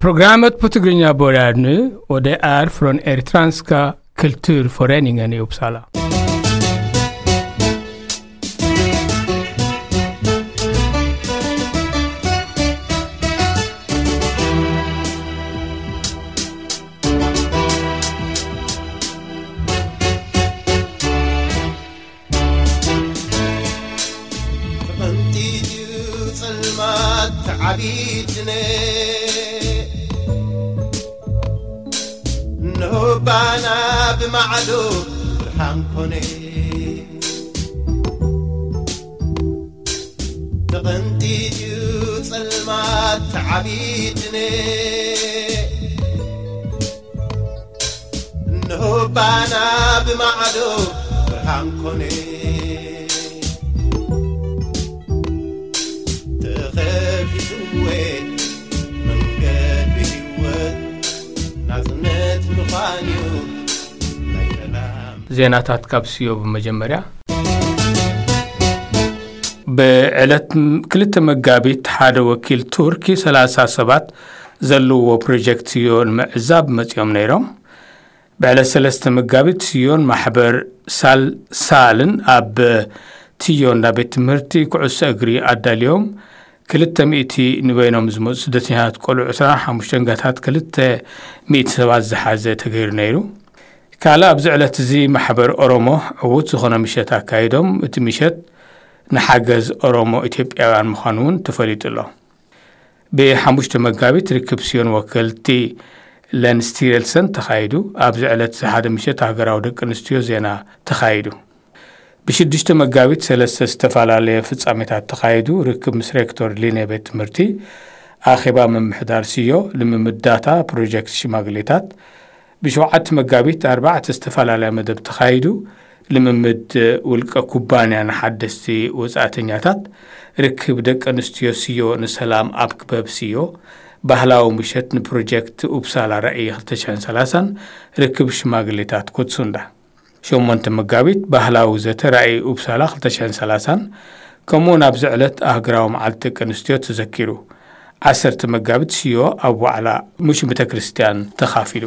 Programmet på Tigrinya börjar nu och det är från Eritreanska kulturföreningen i Uppsala. ተቐንጢጥዩ ጸልማት ተዓቢትነ እንሆ ባና ብማዕዶ ብርሃን ኮነ። ተቐንጢጥዩ ጸልማት ተዓቢትነ እንሆ ባና ብማዕዶ ብርሃን ኮነ። ተኸፊትወ መንገዲ ህይወት ናጽነት ምዃን እዩ ናይ ሰላም። ዜናታት ካብ ስዮ ብመጀመርያ። ብዕለት ክልተ መጋቢት ሓደ ወኪል ቱርኪ ሰላሳ ሰባት ዘለዎ ፕሮጀክት ስዮ ንምዕዛብ መጺኦም ነይሮም። ብዕለት ሰለስተ መጋቢት ስዮን ማሕበር ሳል ሳልን ኣብ ትዮ እንዳ ቤት ትምህርቲ ኩዕሶ እግሪ ኣዳልዮም ክልተ ሚእቲ ንበይኖም ዝመጹ ስደተኛታት ቆልዑ ዕስራን ሓሙሽተን ጋታት ክልተ ሚእቲ ሰባት ዝሓዘ ተገይሩ ነይሩ። ካልእ ኣብዚ ዕለት እዚ ማሕበር ኦሮሞ ዕዉት ዝኾነ ምሸት ኣካይዶም። እቲ ምሸት ንሓገዝ ኦሮሞ ኢትዮጵያውያን ምዃኑ እውን ተፈሊጡ ኣሎ። ብሓሙሽተ መጋቢት ርክብ ስዮን ወከልቲ ለንስቲረልሰን ተኻይዱ። ኣብዚ ዕለት እዚ ሓደ ምሸት ሃገራዊ ደቂ ኣንስትዮ ዜና ተኻይዱ። ብሽዱሽተ መጋቢት ሰለስተ ዝተፈላለየ ፍጻሜታት ተኻይዱ። ርክብ ምስ ሬክቶር ሊነ ቤት ትምህርቲ፣ ኣኼባ ምምሕዳር ስዮ፣ ልምምድ ዳታ፣ ፕሮጀክት ሽማግሌታት። ብሸውዓተ መጋቢት ኣርባዕተ ዝተፈላለያ መደብ ተኻይዱ። ልምምድ ውልቀ ኩባንያ ንሓደስቲ ወጻእተኛታት፣ ርክብ ደቂ ኣንስትዮ ስዮ ንሰላም ኣብ ክበብ ስዮ፣ ባህላዊ ምሸት ንፕሮጀክት ኡፕሳላ ራእይ ክልተ ሽሕን ሰላሳን ርክብ ሽማግሌታት ኮትሱንዳ። ሸሞንተ መጋቢት ባህላዊ ዘተ ራእይ ኡፕሳላ ክልተ ሽሕን ሰላሳን፣ ከምኡውን ኣብዚ ዕለት ኣህግራዊ መዓልቲ ደቂ ኣንስትዮ ተዘኪሩ። ዓሰርተ መጋቢት ስዮ ኣብ ዋዕላ ሙሽ ቤተ ክርስቲያን ተኻፊሉ።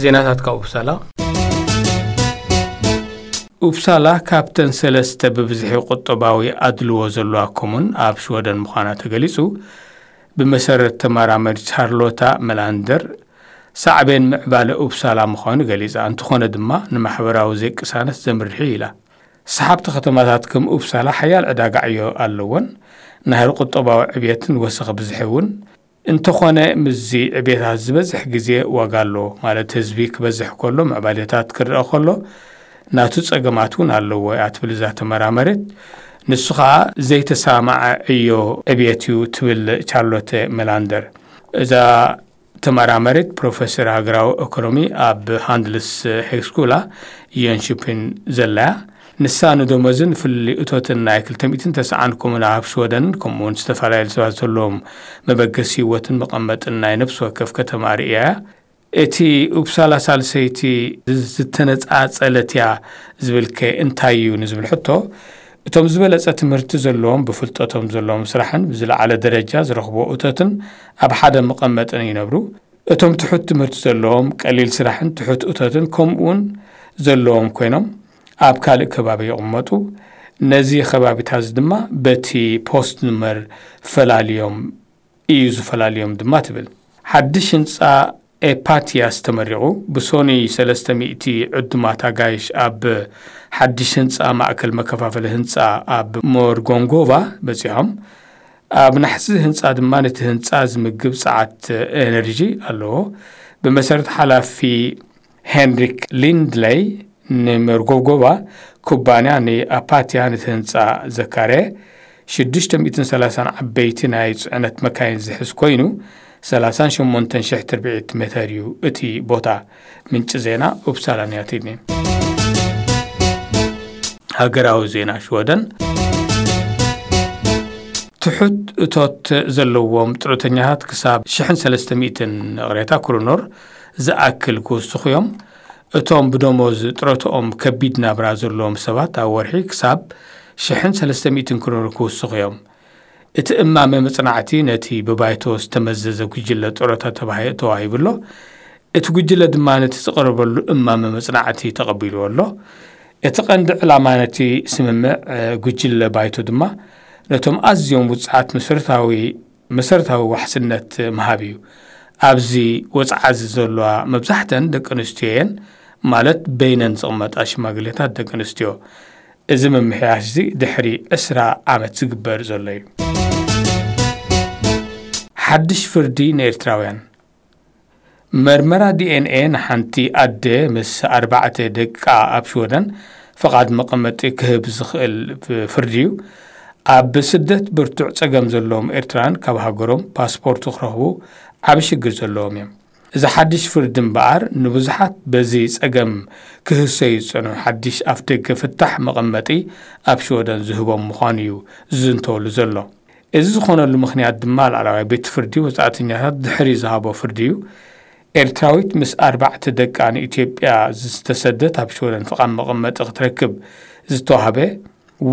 ዜናታት ካብ ኡፕሳላ። ኡፕሳላ ካብተን ሰለስተ ብብዝሒ ቁጠባዊ ኣድልዎ ዘለዋ ኮሙን ኣብ ሽወደን ምዃና ተገሊጹ። ብመሰረት ተመራመሪ ቻርሎታ መላንደር፣ ሳዕቤን ምዕባለ ኡፕሳላ ምዃኑ ገሊጻ፣ እንተኾነ ድማ ንማሕበራዊ ዘይቅሳነት ዘምርሕ እዩ ኢላ። ሰሓብቲ ከተማታት ከም ኡፕሳላ ሓያል ዕዳጋ ዕዮ ኣለወን፣ ናህሪ ቁጠባዊ ዕብየትን ወሰኽ ብዝሒ እውን። እንተኾነ ምስዚ ዕብየታት ዝበዝሕ ግዜ ዋጋ ኣሎ፣ ማለት ህዝቢ ክበዝሕ ከሎ ምዕባሌታት ክረአ ከሎ ናቱ ጸገማት እውን ኣለዎ እያ ትብል እዛ ተመራመሪት። ንሱ ኸኣ ዘይተሰማማዐ ዕዮ ዕብየት እዩ ትብል ቻርሎተ መላንደር። እዛ ተመራመሪት ፕሮፌሰር ሃገራዊ ኢኮኖሚ ኣብ ሃንድልስ ሄግስኩላ ዮንሽፒን ዘላ እያ። ንሳ ንደሞዝን ፍልልይ እቶትን ናይ ክልተ ሚእትን ተስዓን ኮሙና ኣብ ሽወደንን ከምኡውን ዝተፈላለዩ ሰባት ዘለዎም መበገሲ ህይወትን መቐመጥን ናይ ነፍሲ ወከፍ ከተማ ርእያ እያ። እቲ ኡፕሳላ ሳልሰይቲ ዝተነጻጸለት እያ ዝብልከ እንታይ እዩ ንዝብል ሕቶ፣ እቶም ዝበለጸ ትምህርቲ ዘለዎም ብፍልጠቶም ዘለዎም ስራሕን ብዝለዓለ ደረጃ ዝረኽቦ እቶትን ኣብ ሓደ መቐመጥን ይነብሩ። እቶም ትሑት ትምህርቲ ዘለዎም ቀሊል ስራሕን ትሑት እቶትን ከምኡውን ዘለዎም ኮይኖም ኣብ ካልእ ከባቢ ይቕመጡ። ነዚ ከባቢታት ድማ በቲ ፖስት ኑመር ፈላልዮም እዩ ዝፈላልዮም ድማ ትብል። ሓድሽ ህንጻ ኤፓቲያስ ተመሪቑ። ብሶኒ ሰለስተ ሚእቲ ዕዱማት ኣጋይሽ ኣብ ሓድሽ ህንጻ ማእከል መከፋፈሊ ህንጻ ኣብ ሞርጎንጎቫ በጺሖም። ኣብ ናሕሲ ህንጻ ድማ ነቲ ህንጻ ዝምግብ ጸዓት ኤነርጂ ኣለዎ። ብመሰረት ሓላፊ ሄንሪክ ሊንድለይ፣ ንመርጎጎቫ ኩባንያ ንኣፓትያ ነቲ ህንጻ ዘካረየ ሽዱሽተ ሚእትን ሰላሳን ዓበይቲ ናይ ጽዕነት መካይን ዝሕዝ ኮይኑ፣ ሰላሳን ሸሞንተን ሽሕ ትርብዒት ሜተር እዩ እቲ ቦታ። ምንጪ ዜና ኡፕሳላ ኒያቲድኒ። ሃገራዊ ዜና ሽወደን። ትሑት እቶት ዘለዎም ጥሮተኛታት ክሳብ ሽሕን ሰለስተ ሚእትን እቕሬታ ክሩኖር ዝኣክል ክውስኹ እዮም። እቶም ብደሞዝ ጥሮትኦም ከቢድ ናብራ ዘለዎም ሰባት ኣብ ወርሒ ክሳብ ሽሕን ሰለስተ ሚእትን ክሩኖር ክውስኹ እዮም። እቲ እማመ መጽናዕቲ ነቲ ብባይቶ ዝተመዘዘ ጉጅለ ጡረታ ተባሂ-፣ ተዋሂቡ ኣሎ። እቲ ጉጅለ ድማ ነቲ ዝቐረበሉ እማመ መጽናዕቲ ተቐቢልዎ ኣሎ። እቲ ቀንዲ ዕላማ ነቲ ስምምዕ፣ እ፣ ጉጅለ ባይቶ ድማ ነቶም ኣዝዮም ውጽዓት መሰረታዊ፣ መሰረታዊ ዋሕስነት ምሃብ እዩ። ኣብዚ ወጽዓ እዚ ዘለዋ መብዛሕተን ደቂ ኣንስትዮ እየን፣ ማለት በይነን ዝቕመጣ ሽማግሌታት ደቂ ኣንስትዮ። እዚ ምምሕያሽ እዚ ድሕሪ ዕስራ ዓመት ዝግበር ዘሎ እዩ። ሓድሽ ፍርዲ ንኤርትራውያን። መርመራ ዲ ኤን ኤ ንሓንቲ ኣደ ምስ ኣርባዕተ ደቃ ኣብ ሽወደን ፍቓድ መቐመጢ ክህብ ዝኽእል ፍርዲ እዩ። ኣብ ስደት ብርቱዕ ጸገም ዘለዎም ኤርትራውያን ካብ ሃገሮም ፓስፖርት ክረኽቡ ዓቢ ሽግር ዘለዎም እዮም። እዚ ሓድሽ ፍርዲ እምበኣር ንብዙሓት በዚ ጸገም ክህሰዩ ዝጸንሑ ሓድሽ ኣፍደገ ፍታሕ መቐመጢ ኣብ ሽወደን ዝህቦም ምዃኑ እዩ ዝዝንተወሉ ዘሎ። እዚ ዝኾነሉ ምኽንያት ድማ ላዕለዋይ ቤት ፍርዲ ወጻእተኛታት ድሕሪ ዝሃቦ ፍርዲ እዩ። ኤርትራዊት ምስ ኣርባዕተ ደቃ ንኢትዮጵያ ዝተሰደት ኣብ ሽወደን ፍቓድ መቐመጢ ክትረክብ ዝተዋህበ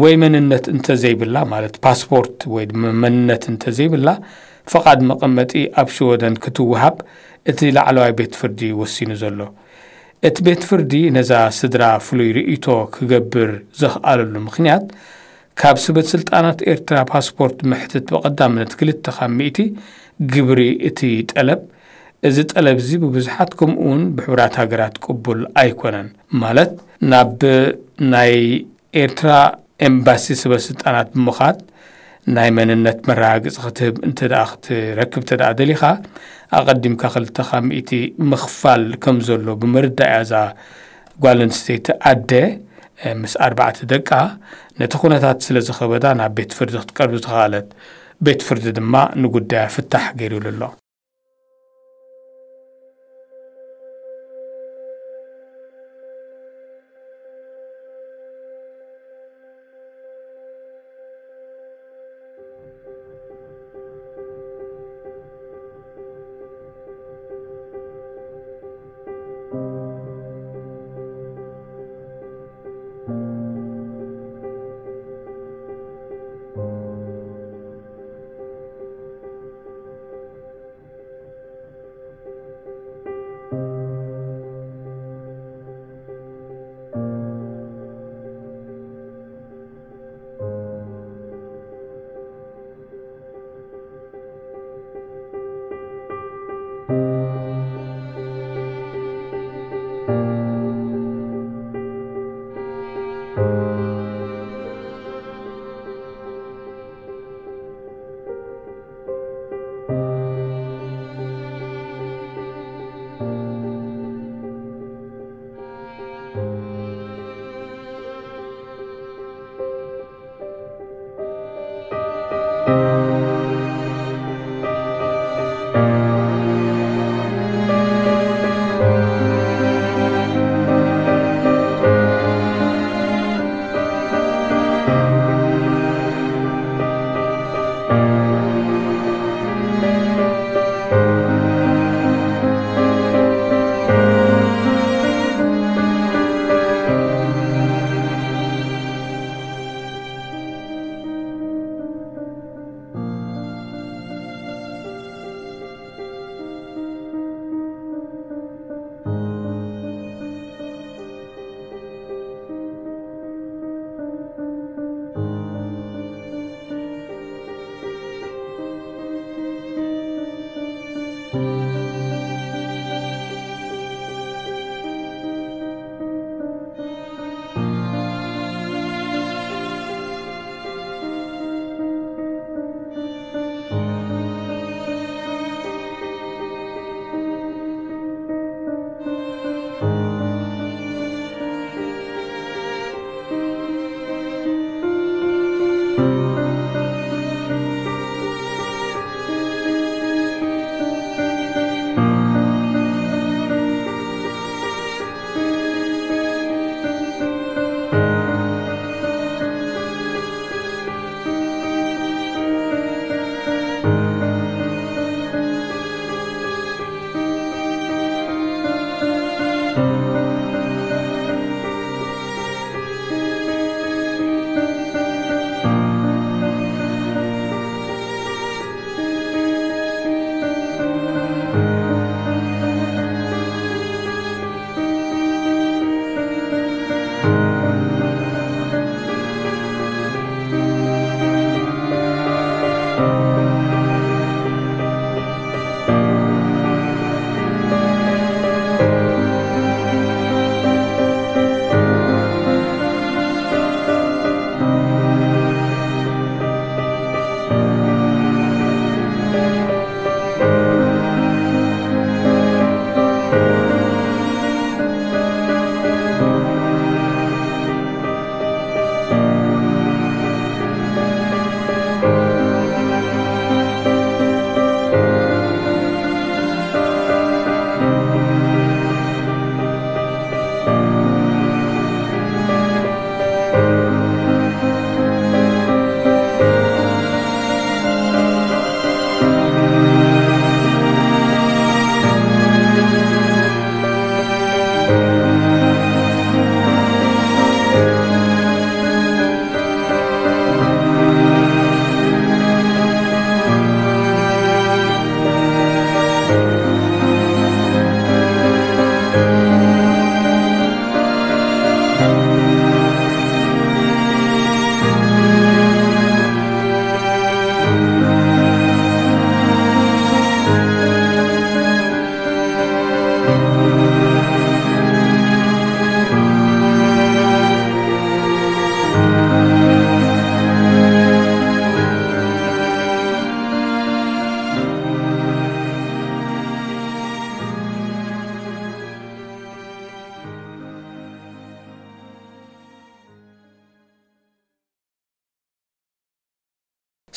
ወይ መንነት እንተዘይብላ፣ ማለት ፓስፖርት ወይ ድማ መንነት እንተዘይብላ፣ ፍቓድ መቐመጢ ኣብ ሽወደን ክትወሃብ እቲ ላዕለዋይ ቤት ፍርዲ ወሲኑ ዘሎ። እቲ ቤት ፍርዲ ነዛ ስድራ ፍሉይ ርእይቶ ክገብር ዘኽኣለሉ ምኽንያት፣ ካብ ስበት ስልጣናት ኤርትራ ፓስፖርት ምሕትት ብቐዳምነት ክልተ ካብ ሚእቲ ግብሪ እቲ ጠለብ፣ እዚ ጠለብ እዚ ብብዙሓት ከምኡውን ብሕቡራት ሃገራት ቅቡል ኣይኮነን። ማለት ናብ ናይ ኤርትራ ኤምባሲ ስበት ስልጣናት ብምኻድ ናይ መንነት መረጋገጺ ክትህብ እንተ ደኣ ክትረክብ እንተ ደኣ ደሊኻ፣ ኣቐዲምካ ክልተ ካብ ሚእቲ ምኽፋል ከም ዘሎ ብምርዳእ እያ እዛ ጓል ኣንስተይቲ ኣደ፣ እ፣ ምስ ኣርባዕተ ደቃ ነቲ ኩነታት ስለ ዝኸበዳ ናብ ቤት ፍርዲ ክትቀርብ ዝተኻእለት። ቤት ፍርዲ ድማ ንጉዳያ ፍታሕ ገይሩሉ ኣሎ።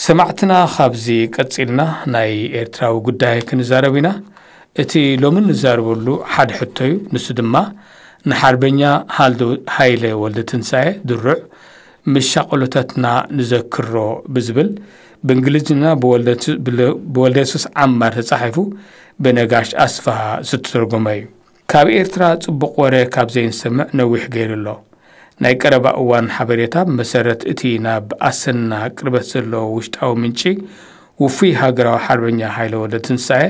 ሰማዕትና፣ ካብዚ ቀጺልና ናይ ኤርትራዊ ጉዳይ ክንዛረብ ኢና። እቲ ሎሚ ንዛረበሉ ሓደ ሕቶ እዩ። ንሱ ድማ ንሓርበኛ ሃልዶ-፣ ሃይለ ወልደትንሳኤ ድሩዕ "ምስ ሻቕሎታትና ንዘክሮ" ብዝብል ብእንግሊዝኛ ብወልደቱ-፣ ብለ-፣ ብወልደየሱስ ዓማር ተጻሒፉ ብነጋሽ ኣስፍሃ ዝተተርጎመ እዩ። ካብ ኤርትራ ጽቡቕ ወረ ካብ ዘይንሰምዕ ነዊሕ ገይሩ ኣሎ። ናይ ቀረባ እዋን ሓበሬታ፣ ብመሰረት እቲ ናብ ኣሰና ቅርበት ዘለዎ ውሽጣዊ ምንጪ፣ ውፉይ ሃገራዊ ሓርበኛ ሃይለ ወልደትንሳኤ፣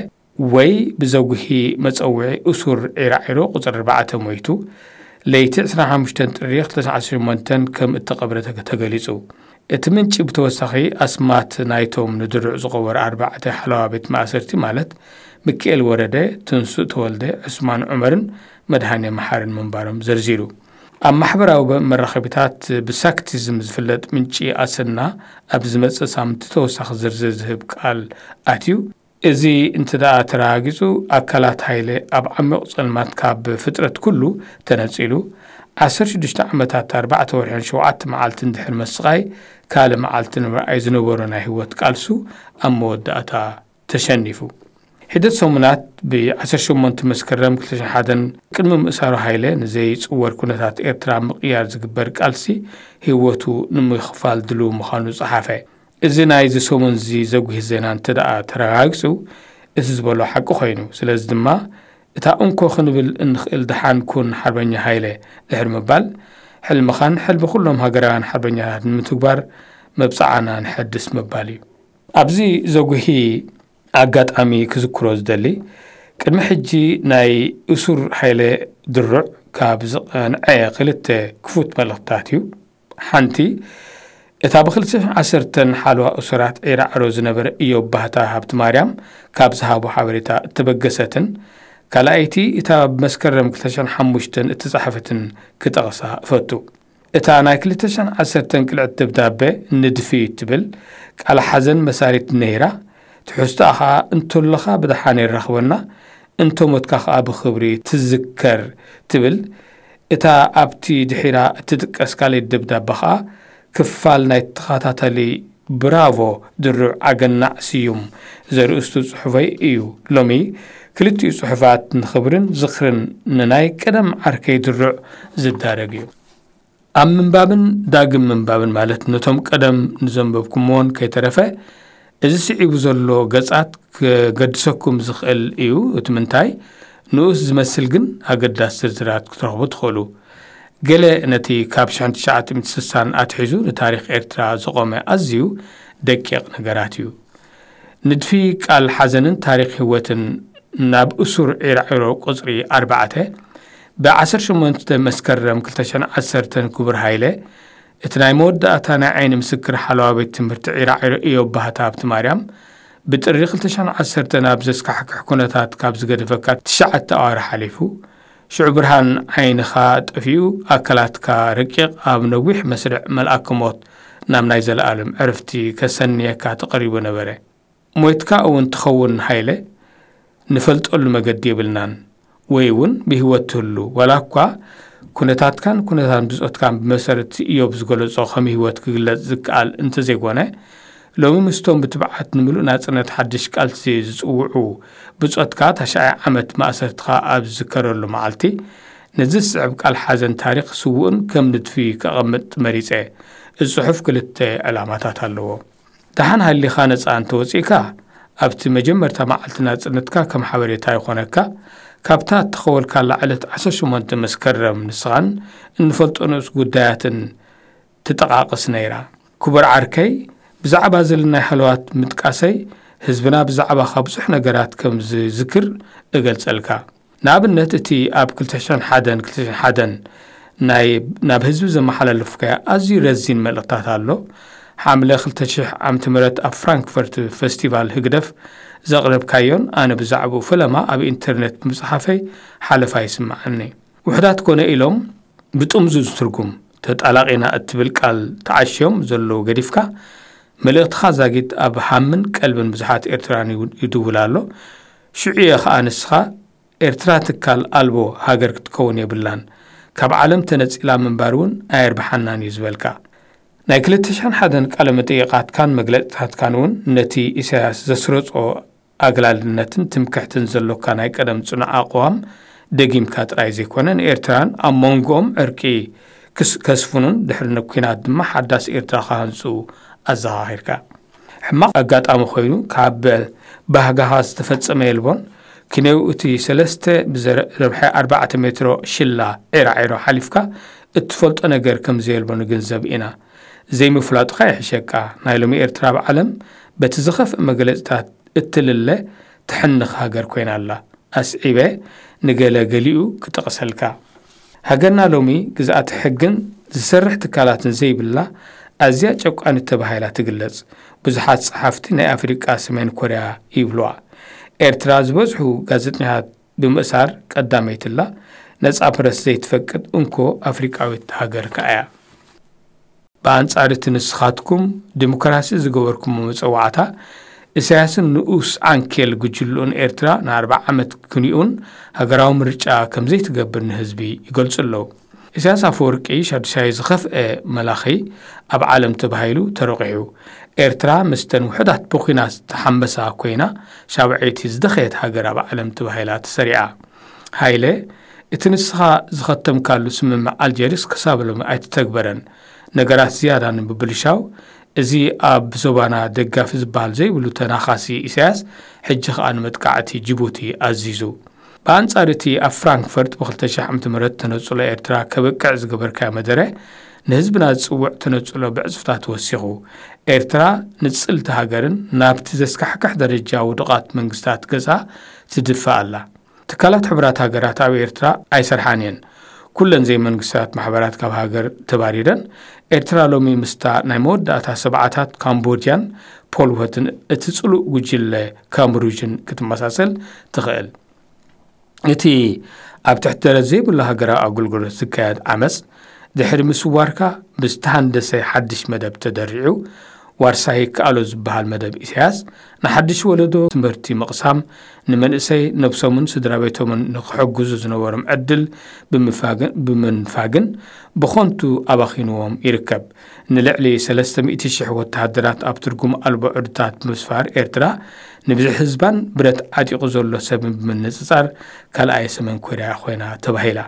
ወይ ብዘጉሂ መጸውዒ እሱር ዒራዒሮ ቁጽሪ ኣርባዕተ፣ ሞይቱ ለይቲ ዕስራን ሓሙሽተን ጥሪ ክልተ ሽሕን ዓሰርተ ሸሞንተን ከም እተቐብረ ተገ-፣ ተገሊጹ። እቲ ምንጪ ብተወሳኺ ኣስማት ናይቶም ንድሩዕ ዝቐበሩ ኣርባዕተ ሓለዋ ቤት ማእሰርቲ፣ ማለት ሚካኤል ወረደ፣ ትንሱእ ተወልደ፣ ዑስማን ዑመርን መድሃኔ መሓርን ምንባሮም ዘርዚሩ። ኣብ ማሕበራዊ መራኸቢታት ብሳክቲዝም ዝፍለጥ ምንጪ ኣሰና፣ ኣብ ዝመጽእ ሳምንቲ ተወሳኺ ዝርዝር ዝህብ ቃል ኣትዩ። እዚ እንተ ደኣ ተረጋጊጹ፣ ኣካላት ሃይለ ኣብ ዓሚቕ ጸልማት ካብ ፍጥረት ኩሉ ተነጺሉ፣ ዓሰርተ ሽዱሽተ ዓመታት፣ ኣርባዕተ ወርሕን ሸውዓተ መዓልትን ድሕሪ ምስቓይ፣ ካልእ መዓልቲ ንምርኣይ ዝነበሮ ናይ ህይወት ቃልሱ ኣብ መወዳእታ ተሸኒፉ። ሒደት ሰሙናት፣ ብ ዓሰርተ ሸሞንተ መስከረም ክልተ ሽሕን ሓደን፣ ቅድሚ ምእሳሩ፣ ሃይለ ንዘይጽወር ኩነታት ኤርትራ ምቕያር ዝግበር ቃልሲ ህይወቱ ንምኽፋል ድሉው ምዃኑ ጸሓፈ። እዚ ናይዚ ሰሙንዚ ዘጉሂ ዜና እንተ ደኣ ተረጋጊጹ፣ እቲ ዝበሎ ሓቂ ኮይኑ። ስለዚ ድማ፣ እታ እንኮ ክንብል እንኽእል "ደሓን ኩን ሓርበኛ ሃይለ" ድሕሪ ምባል፣ ሕልምኻን ሕልሚ ኩሎም ሃገራውያን ሓርበኛታት ንምትግባር መብጽዓና ንሐድስ ምባል እዩ። ኣብዚ ዘጉሂ ኣጋጣሚ ክዝክሮ ዝደሊ፣ ቅድሚ ሕጂ ናይ እሱር ሃይለ ድሩዕ ካብ ዝቐንዐ ክልተ ክፉት መልእኽትታት እዩ። ሓንቲ፣ እታ ብ ክልተ ሽሕን ዓሰርተን ሓለዋ እሱራት ዒራዕሮ ዝነበረ እዮብ ባህታ ሃብተማርያም ካብ ዝሃቦ ሓበሬታ እተበገሰትን፣ ካልኣይቲ፣ እታ ኣብ መስከረም ክልተ ሽሕን ሓሙሽተን እተጻሕፈትን ክጠቕሳ እፈቱ። እታ ናይ ክልተ ሽሕን ዓሰርተን ቅልዕቲ ደብዳበ፣ ንድፊ ትብል፣ ቃል ሓዘን መሳሪት ነይራ። ትሕዝቶኣ ኸኣ "እንተሎኻ ብደሓን የራኽበና፣ እንተ ሞትካ ኸኣ ብኽብሪ ትዝከር" ትብል። እታ ኣብቲ ድሒራ እትጥቀስ ካልኣይቲ ደብዳበ ኸኣ፣ ክፋል ናይ ተኸታታሊ "ብራቮ ድሩዕ ኣገናዕ ስዩም" ዘርእስቱ ጽሑፈይ እዩ። ሎሚ ክልቲኡ ጽሑፋት ንኽብርን ዝኽርን ንናይ ቀደም ዓርከይ ድሩዕ ዝዳረግ እዩ። ኣብ ምንባብን ዳግም ምንባብን፣ ማለት ነቶም ቀደም ንዘንበብኩምዎን ከይተረፈ፣ እዚ ስዒቡ ዘሎ ገጻት ክገድሰኩም ዝኽእል እዩ። እቲ ምንታይ ንኡስ ዝመስል ግን ኣገዳሲ ዝርዝራት ክትረኽቡ ትኽእሉ። ገለ ነቲ ካብ ሽሕን ትሽዓተ ሚእትን ስሳን ኣትሒዙ ንታሪኽ ኤርትራ ዝቖመ ኣዝዩ ደቂቕ ነገራት እዩ። ንድፊ ቃል ሓዘንን ታሪኽ ህይወትን፣ ናብ እሱር ዒራዒሮ ቁጽሪ ኣርባዕተ፣ ብ ዓሰርተ ሸሞንተ መስከረም ክልተ ሽሕን ዓሰርተን፣ ክቡር ሃይለ፣ እቲ ናይ መወዳእታ ናይ ዓይኒ ምስክር ሓለዋ ቤት ትምህርቲ ዒራዒሮ እዮብ ባህታ ሃብተማርያም፣ ብጥሪ ክልተ ሽሕን ዓሰርተን ኣብ ዘስካሕክሕ ኩነታት ካብ ዝገደፈካ ትሽዓተ ኣዋርሕ ሓሊፉ፣ ሽዑ ብርሃን ዓይንኻ ጠፊኡ፣ ኣካላትካ ረቂቕ፣ ኣብ ነዊሕ መስርዕ መልኣከ ሞት ናብ ናይ ዘለኣለም ዕርፍቲ ከሰንየካ ተቐሪቡ ነበረ። ሞይትካ እውን ትኸውን ሃይለ፣ ንፈልጠሉ መገዲ የብልናን። ወይ እውን ብህይወት ትህሉ፣ ዋላ እኳ ኩነታትካን ኩነታት ብጾትካን ብመሰረት እዮብ ዝገለጾ ከም ህይወት ክግለጽ ዝከኣል እንተዘይኮነ፣ ሎሚ ምስቶም ብትብዓት ንምሉእ ናጽነት ሓድሽ ቃልሲ ዝጽውዑ ብጾትካ፣ ታሽዓይ ዓመት ማእሰርትኻ ኣብ ዝዝከረሉ መዓልቲ፣ ነዚ ዝስዕብ ቃል ሓዘን ታሪኽ ስዉእን ከም ንድፊ ከቐምጥ መሪጸ። እዚ ጽሑፍ ክልተ ዕላማታት ኣለዎ። ደሓን ሃሊኻ ነጻ እንተወጺእካ፣ ኣብቲ መጀመርታ መዓልቲ ናጽነትካ ከም ሓበሬታ ይኾነካ፣ ካብታ እተኸወልካላ ዕለት ዓሰርተ ሸሞንተ መስከረም፣ ንስኻን እንፈልጦ ንኡስ ጉዳያትን ትጠቓቕስ ነይራ። ክቡር ዓርከይ፣ ብዛዕባ ዘለናይ ሃለዋት ምጥቃሰይ፣ ህዝብና ብዛዕባኻ ብዙሕ ነገራት ከም ዝዝክር እገልጸልካ። ንኣብነት፣ እቲ ኣብ ክልተ ሽሕን ሓደን ክልተ ሽሕን ሓደን ናይ፣ ናብ ህዝቢ ዘመሓላለፍካዮ ኣዝዩ ረዚን መልእኽታት ኣሎ። ሓምለ ክልተ ሽሕ ዓመተ ምህረት ኣብ ፍራንክፈርት ፈስቲቫል ህግደፍ ዘቕረብካዮን ኣነ ብዛዕባኡ ፈለማ ኣብ ኢንተርነት ብምጽሓፈይ ሓለፋ ይስምዓኒ። ውሑዳት ኮነ ኢሎም ብጥምዙ ዝትርጉም፣ ተጣላቒና እትብል ቃል ተዓሽዮም ዘለዉ ገዲፍካ፣ መልእኽትኻ ዛጊት ኣብ ሃምን ቀልብን ብዙሓት ኤርትራውያን ይው-፣ ይድውል ኣሎ። ሽዑ እየ ኸኣ ንስኻ፣ "ኤርትራ ትካል ኣልቦ ሃገር ክትከውን የብላን፣ ካብ ዓለም ተነጺላ ምንባር እውን ኣየርብሓናን እዩ" ዝበልካ። ናይ ክልተ ሽሕን ሓደን ቃለ መጠይቓትካን መግለጽታትካን እውን ነቲ ኢሳያስ ዘስረጾ ኣግላልነትን ትምክሕትን ዘሎካ ናይ ቀደም ጽኑዕ ኣቕዋም ደጊምካ ጥራይ ዘይኮነ፣ ንኤርትራን ኣብ መንጎኦም ዕርቂ ክስ-፣ ከስፍኑን ድሕሪ ንኲናት ድማ ሓዳስ ኤርትራ ክሃንጹ ኣዘኻኺርካ። ሕማቕ ኣጋጣሚ ኮይኑ፣ ካብ ባህጋኻ ዝተፈጸመ የልቦን። ክንየው እቲ ሰለስተ ብዘረ-፣ ረብሐ ኣርባዕተ ሜትሮ ሽላ ዒራዒሮ ሓሊፍካ እትፈልጦ ነገር ከም ዘየልቦ ንግንዘብ ኢና። ዘይምፍላጥኻ ይሕሸካ። ናይ ሎሚ ኤርትራ ኣብ ዓለም በቲ ዝኸፍእ መግለጽታት እትልለ ትሕንኽ ሃገር ኮይና ኣላ። ኣስዒበ ንገለ ገሊኡ ክጠቕሰልካ። ሃገርና ሎሚ ግዝኣተ ሕግን ዝሰርሕ ትካላትን ዘይብላ ኣዝያ ጨቋኒት ተባሂላ ትግለጽ። ብዙሓት ጸሓፍቲ ናይ ኣፍሪቃ ሰሜን ኮርያ ይብልዋ። ኤርትራ ዝበዝሑ ጋዜጠኛታት ብምእሳር ቀዳመይትላ፣ ነጻ ፕረስ ዘይትፈቅድ እንኮ ኣፍሪቃዊት ሃገር ከኣ እያ። ብኣንጻር እቲ ንስኻትኩም ዲሞክራሲ ዝገበርኩሞ መጸዋዕታ፣ ኢሳያስን ንኡስ ዓንኬል ጉጅልኡን ኤርትራ ንኣርብዓ ዓመት ክንዩን ሃገራዊ ምርጫ ከም ዘይትገብር ንህዝቢ ይገልጹ ኣለዉ። ኢሳያስ ኣፈወርቂ ሻዱሻይ ዝኸፍአ መላኺ ኣብ ዓለም ተባሂሉ ተረቑሑ። ኤርትራ ምስተን ውሑዳት ብኲናት ዝተሓመሳ ኮይና፣ ሻብዐይቲ ዝደኸየት ሃገር ኣብ ዓለም ተባሂላ ተሰሪዓ። ሃይለ፣ እቲ ንስኻ ዝኸተምካሉ ስምምዕ ኣልጀርስ ክሳብ ሎሚ ኣይተተግበረን። ነገራት ዝያዳ ንምብልሻው፣ እዚ ኣብ ዞባና ደጋፊ ዝበሃል ዘይብሉ ተናኻሲ ኢሳያስ፣ ሕጂ ኸኣ ንመጥቃዕቲ ጅቡቲ ኣዚዙ። ብኣንጻር እቲ ኣብ ፍራንክፈርት ብ ክልተ ሽሕ ዓመተ ምህረት ተነጽሎ ኤርትራ ከብቅዕ ዝገበርካዮ መደረ፣ ንህዝብና ዝጽውዕ ተነጽሎ ብዕጽፍታት ወሲኹ። ኤርትራ ንጽልቲ ሃገርን ናብቲ ዘስካሕክሕ ደረጃ ውዱቓት መንግስታት ገጻ ትድፋእ ኣላ። ትካላት ሕቡራት ሃገራት ኣብ ኤርትራ ኣይሰርሓን እየን። ኩለን ዘይመንግስታት ማሕበራት ካብ ሃገር ተባሪረን። ኤርትራ ሎሚ ምስታ ናይ መወዳእታ ሰብዓታት ካምቦድያን ፖልወትን እቲ ጽሉእ ጉጅለ ካምሩጅን ክትመሳሰል ትኽእል። እቲ ኣብ ትሕቲ ደረት ዘይብሉ ሃገራዊ ኣገልግሎት ዝካየድ ዓመጽ፣ ድሕሪ ምስዋርካ ብዝተሃንደሰ ሓድሽ መደብ ተደሪዑ፣ ዋርሳይ ይከኣሎ ዝበሃል መደብ ኢሳያስ፣ ንሓድሽ ወለዶ ትምህርቲ ምቕሳም፣ ንመንእሰይ ነብሶምን ስድራ ቤቶምን ንክሕግዙ ዝነበሮም ዕድል ብምፋግን፣ ብምንፋግን ብኸንቱ ኣባኺንዎም ይርከብ። ንልዕሊ ሰለስተ ሚእቲ ሽሕ ወተሃደራት ኣብ ትርጉም ኣልቦ ዕርድታት ብምስፋር ኤርትራ፣ ንብዝሒ ህዝባን ብረት ዓጢቑ ዘሎ ሰብን ብምንጽጻር ካልኣይ ሰሜን ኮርያ ኮይና ተባሂላ።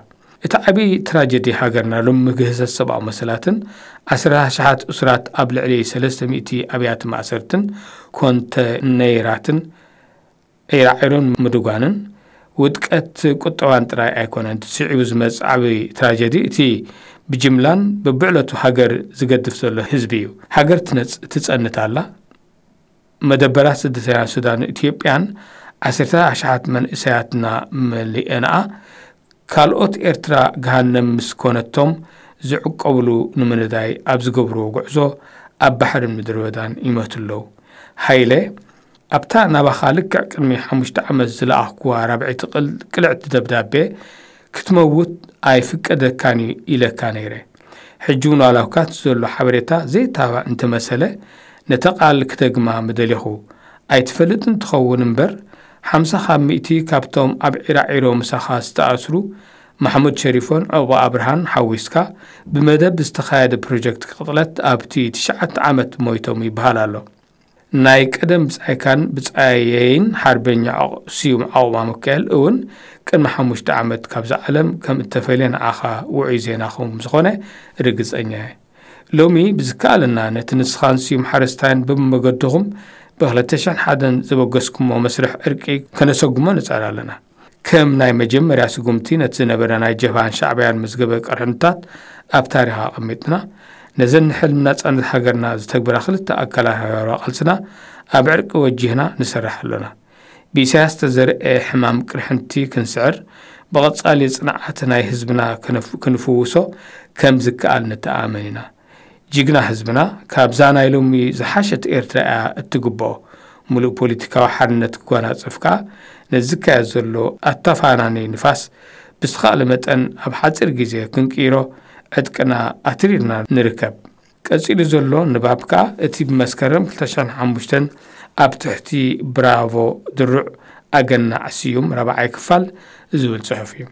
እቲ ዓቢ ትራጀዲ ሃገርና ሎም ምግህሰት ሰብኣዊ መሰላትን ዓሰርተ ኣሽሓት እሱራት ኣብ ልዕሊ ሰለስተ ሚእቲ ኣብያተ ማእሰርትን ኮንተነይራትን ዒራዒሮን ምድጓንን ውድቀት ቁጠባን ጥራይ ኣይኮነን። እቲ ስዒቡ ዝመጽእ ዓቢ ትራጀዲ እቲ ብጅምላን በብዕለቱ ሃገር ዝገድፍ ዘሎ ህዝቢ እዩ። ሃገር ትነጽ-፣ ትጸንት ኣላ። መደበራት ስደተኛታት ሱዳን ኢትዮጵያን ዓሰርተ ኣሽሓት መንእሰያትና መሊአንኣ ካልኦት ኤርትራ ገሃነም ምስ ኮነቶም ዝዕቆብሉ ንምንዳይ ኣብ ዝገብርዎ ጉዕዞ ኣብ ባሕርን ምድረ በዳን ይመቱ ኣለዉ። ሃይለ ኣብታ ናባኻ ልክዕ ቅድሚ ሓሙሽተ ዓመት ዝለኣኽኩዋ ራብዐይቲ ቅል-፣ ቅልዕቲ ደብዳቤ ክትመውት ኣይፍቀደካን እዩ ኢለካ ነይረ። ሕጂ እውን ዋላ እኳ እቲ ዘሎ ሓበሬታ ዘይተባዕ እንተመሰለ፣ ነታ ቃል ክደግማ ምደሌኹ። ኣይትፈልጥን ትኸውን እምበር፣ ሓምሳ ካብ ሚእቲ ካብቶም ኣብ ዒራዒሮ ምሳኻ ዝተኣስሩ ማሕሙድ ሸሪፎን ዑቕባ ኣብርሃን ሓዊስካ፣ ብመደብ ዝተኻየደ ፕሮጀክት ቅጥለት ኣብቲ ትሽዓተ ዓመት ሞይቶም ይበሃል ኣሎ። ናይ ቀደም ብጻይካን ብጻየይን ሓርበኛ ዖቕ-፣ ስዩም ዓቑባ ሚካኤል እውን ቅድሚ ሓሙሽተ ዓመት ካብዛ ዓለም ከም እተፈልየ ንዓኻ ውዑይ ዜና ከም ዝኾነ ርግጸኛ እየ። ሎሚ ብዝከኣለና ነቲ ንስኻን ስዩም ሓረስታይን ብመገድኹም ብኽልተ ሽሕን ሓደን ዘበገስኩሞ መስርሕ ዕርቂ ከነሰጉሞ ንጽዕር ኣለና። ከም ናይ መጀመርያ ስጉምቲ ነቲ ዝነበረ ናይ ጀብሃን ሻዕብያን መዝገበ ቅርሕንታት ኣብ ታሪኽ ኣቐሚጥና፣ ነዘን ንሕልሚ ናጻነት ሃገርና ዝተግበራ ክልተ ኣካላት ሃገራዊ ቃልስና ኣብ ዕርቂ ወጂህና ንሰርሕ ኣሎና። ብኢሳያስ ዝተዘርአ ሕማም ቅርሕንቲ ክንስዕር፣ ብቐጻሊ ጽንዓት ናይ ህዝብና ክንፍ-፣ ክንፍውሶ ከም ዝከኣል ንተኣመን ኢና። ጅግና ህዝብና፣ ካብዛ ናይ ሎሚ ዝሓሸት ኤርትራ እያ እትግብኦ። ምሉእ ፖለቲካዊ ሓርነት ክጓናጸፍ ከኣ፣ ነዚ ዝካየድ ዘሎ ኣተፋናኒ ንፋስ ብዝተኻእለ መጠን ኣብ ሓጺር ግዜ ክንቅይሮ ዕጥቅና ኣትሪርና ንርከብ። ቀጺሉ ዘሎ ንባብ ከኣ፣ እቲ ብመስከረም ክልተ ሽሕን ሓሙሽተን ኣብ ትሕቲ ብራቮ ድሩዕ ኣገናዕ ስዩም ራብዓይ ክፋል ዝብል ጽሑፍ እዩ።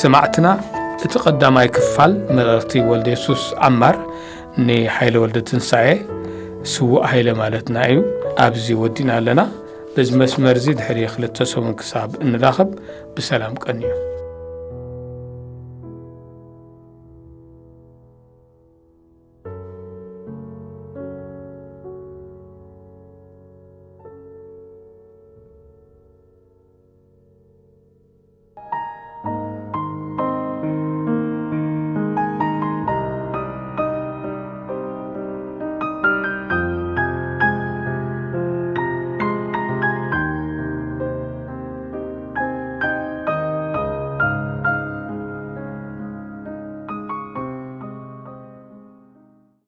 ሰማዕትና፣ እቲ ቀዳማይ ክፋል መረርቲ ወልደ የሱስ ዓማር ንሓይለ ወልደ ትንሳኤ፣ ስዉእ ሃይለ ማለትና እዩ፣ ኣብዚ ወዲና ኣለና። በዚ መስመር እዚ ድሕሪ ክልተ ሰሙን ክሳብ እንራኸብ ብሰላም ቀንዩ።